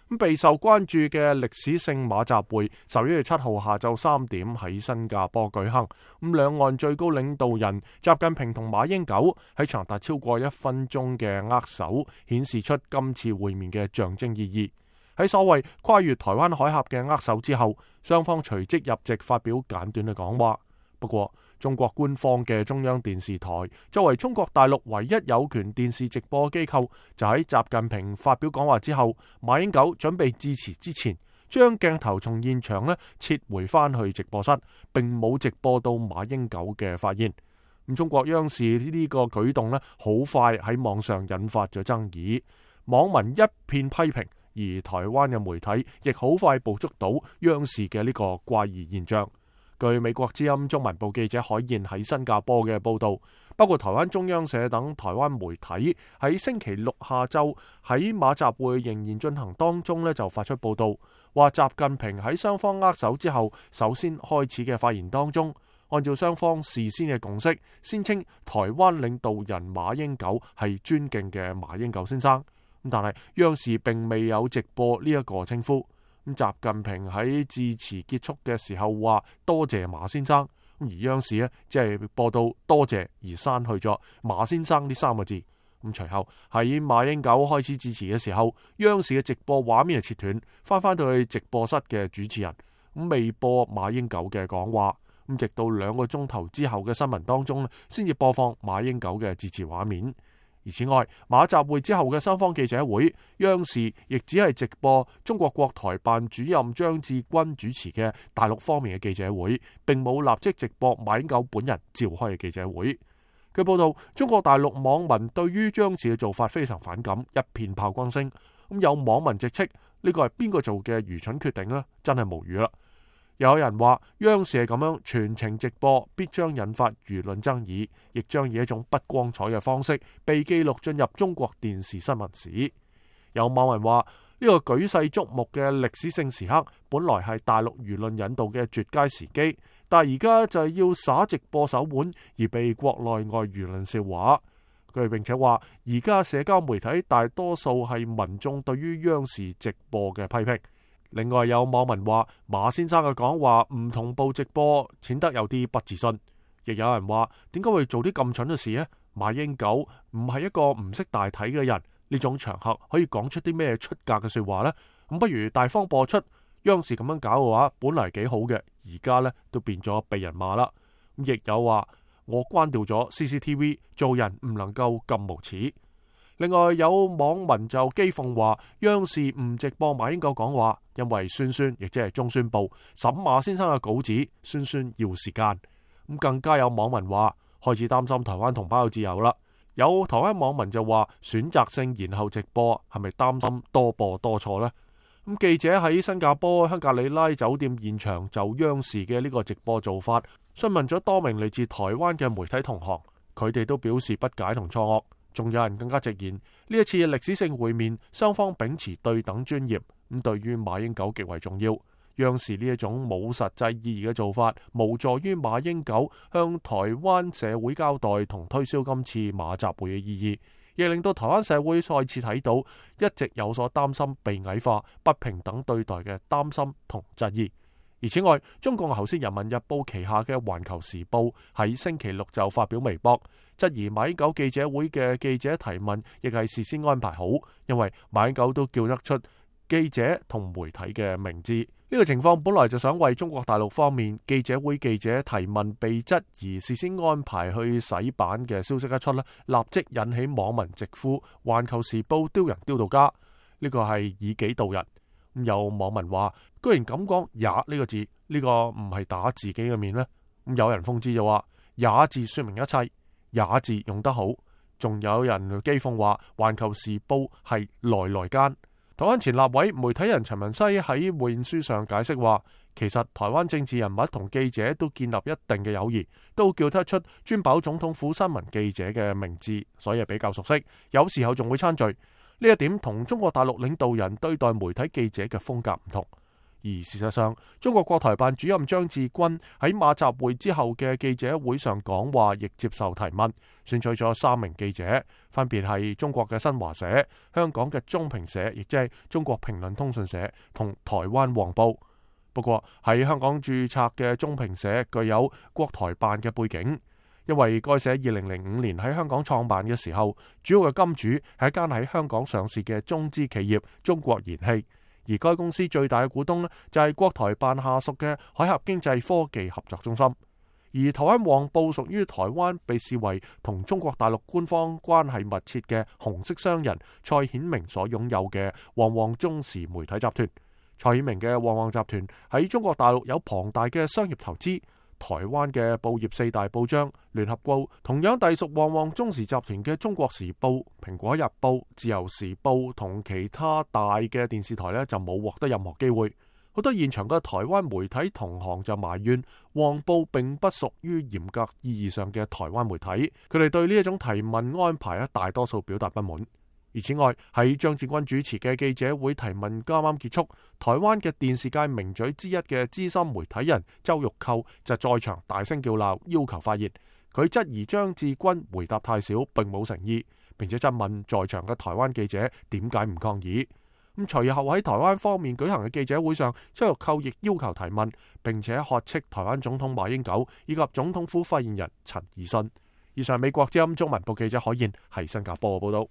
咁備受關注嘅歷史性馬習會11月7號下晝3點喺新加坡舉行。咁兩岸最高領導人習近平同馬英九喺長達超過1分鐘嘅握手，顯示出今次會面嘅象徵意義。喺所謂跨越台灣海峽嘅握手之後，雙方隨即入席發表簡短嘅講話。不過，中國官方嘅中央電視台作為中國大陸唯一有權電視直播機構，就喺習近平發表講話之後，馬英九準備致辭之前，將鏡頭從現場撤回翻去直播室，並冇直播到馬英九嘅發言。咁中國央視呢個舉動好快喺網上引發咗爭議，網民一片批評，而台灣嘅媒體亦好快捕捉到央視嘅呢個怪異現象。據美國之音中文部記者海燕喺新加坡嘅報道，包括台灣中央社等台灣媒體喺星期六下晝喺馬習會仍然進行當中就發出報道，話習近平喺雙方握手之後首先開始嘅發言當中，按照雙方事先嘅共識，先稱台灣領導人馬英九係尊敬嘅馬英九先生。但係央視並未有直播呢一個稱呼。習近平喺致辭結束嘅時候話多謝馬先生，而央視只係播到多謝而刪去咗馬先生呢3個字。咁隨後喺馬英九開始致辭嘅時候，央視嘅直播畫面係切斷，翻到去直播室嘅主持人未播馬英九嘅講話。直到2個鐘頭之後嘅新聞當中先至播放馬英九嘅致辭畫面。而此外，馬習會之後嘅雙方記者會，央視亦只係直播中國國台辦主任張志軍主持嘅大陸方面嘅記者會，並冇立即直播馬英九本人召開嘅記者會。據報道，中國大陸網民對於央視嘅做法非常反感，一片炮轟聲。有網民直斥呢個係邊個做嘅愚蠢決定呢？真係無語啦！有人話央視係咁樣全程直播，必將引發輿論爭議，亦將以一種不光彩嘅方式被記錄進入中國電視新聞史。有網民話呢個舉世矚目嘅歷史性時刻，本來係大陸輿論引導嘅絕佳時機，但係而家就係要耍直播手腕，而被國內外輿論笑話。佢並且話而家社交媒體大多數係民眾對於央視直播嘅批評。另外有網民話馬先生嘅講話唔同步直播，顯得有啲不自信。亦有人話點解會做啲咁蠢嘅事呢？馬英九唔係一個唔識大體嘅人，呢種場合可以講出啲咩出格嘅說話呢？咁不如大方播出。央視咁樣搞嘅話，本嚟幾好嘅，而家都變咗被人罵啦。亦有話我關掉咗 CCTV， 做人唔能夠咁無恥。另外有網民就譏諷話央視唔直播馬英九講話，因為孫孫亦即係中宣部審馬先生嘅稿子，孫孫要時間。更加有網民話開始擔心台灣同胞有自由啦。有台灣網民就話選擇性延後直播係咪擔心多播多錯呢？記者喺新加坡香格里拉酒店現場就央視嘅呢個直播做法詢問咗多名嚟自台灣嘅媒體同行，佢哋都表示不解同錯愕。仲有人更加直言，呢一次嘅歷史性會面，雙方秉持對等專業，咁對於馬英九極為重要。央視呢一種冇實際意義嘅做法，無助於馬英九向台灣社會交代同推銷今次馬習會嘅意義，亦令到台灣社會再次睇到一直有所擔心被矮化、不平等對待嘅擔心同質疑。而此外，中共喉舌人民日報旗下嘅環球時報喺星期六就發表微博，質疑馬英九記者會嘅記者提問亦係事先安排好，因為馬英九都叫得出記者同媒體嘅名字。呢個情況本來就想為中國大陸方面記者會記者提問被質疑事先安排去洗版嘅消息一出，立即引起網民直呼環球時報丟人丟到家，呢個係以己度人。有網民話居然咁講也呢個字，呢個唔係打自己嘅面咩？有人諷刺就話也字說明一切，也字用得好。仲有人譏諷話環球時報係來間。台灣前立委媒體人陳文西喺會面書上解釋話，其實台灣政治人物同記者都建立一定嘅友誼，都叫得出尊保總統府新聞記者嘅名字，所以比較熟悉，有時候仲會參聚。呢一點同中國大陸領導人對待媒體記者嘅風格唔同。而事實上，中國國台辦主任張志軍喺馬習會之後嘅記者會上講話，亦接受提問，選取咗3名記者，分別係中國嘅新華社、香港嘅中評社，亦即係中國評論通訊社同台灣黃報。不過喺香港註冊嘅中評社具有國台辦嘅背景，因為該社2005年喺香港創辦嘅時候，主要嘅金主係一間喺香港上市嘅中資企業中國燃氣。而該公司最大嘅股東呢，就係國台辦下屬嘅海峽經濟科技合作中心，而台灣黃報屬於台灣被視為同中國大陸官方關係密切嘅紅色商人蔡顯明所擁有嘅旺旺中時媒體集團。蔡顯明嘅旺旺集團喺中國大陸有龐大嘅商業投資。台灣嘅報業4大報章聯合報同樣隸屬旺旺中時集團嘅中國時報、蘋果日報、自由時報同其他大嘅電視台呢，就冇獲得任何機會。好多現場嘅台灣媒體同行就埋怨旺報並不屬於嚴格意義上嘅台灣媒體，佢哋對呢一種提問安排大多數表達不滿。而此外，喺張志軍主持嘅記者會提問啱啱結束，台灣嘅電視界名嘴之一嘅資深媒體人周玉蔻就在場大聲叫鬧，要求發言。佢質疑張志軍回答太少，並冇誠意，並且質問在場嘅台灣記者點解唔抗議。咁隨後喺台灣方面舉行嘅記者會上，周玉蔻亦要求提問，並且喝斥台灣總統馬英九以及總統府發言人陳儀信。以上美國之音中文部記者海燕喺新加坡報道。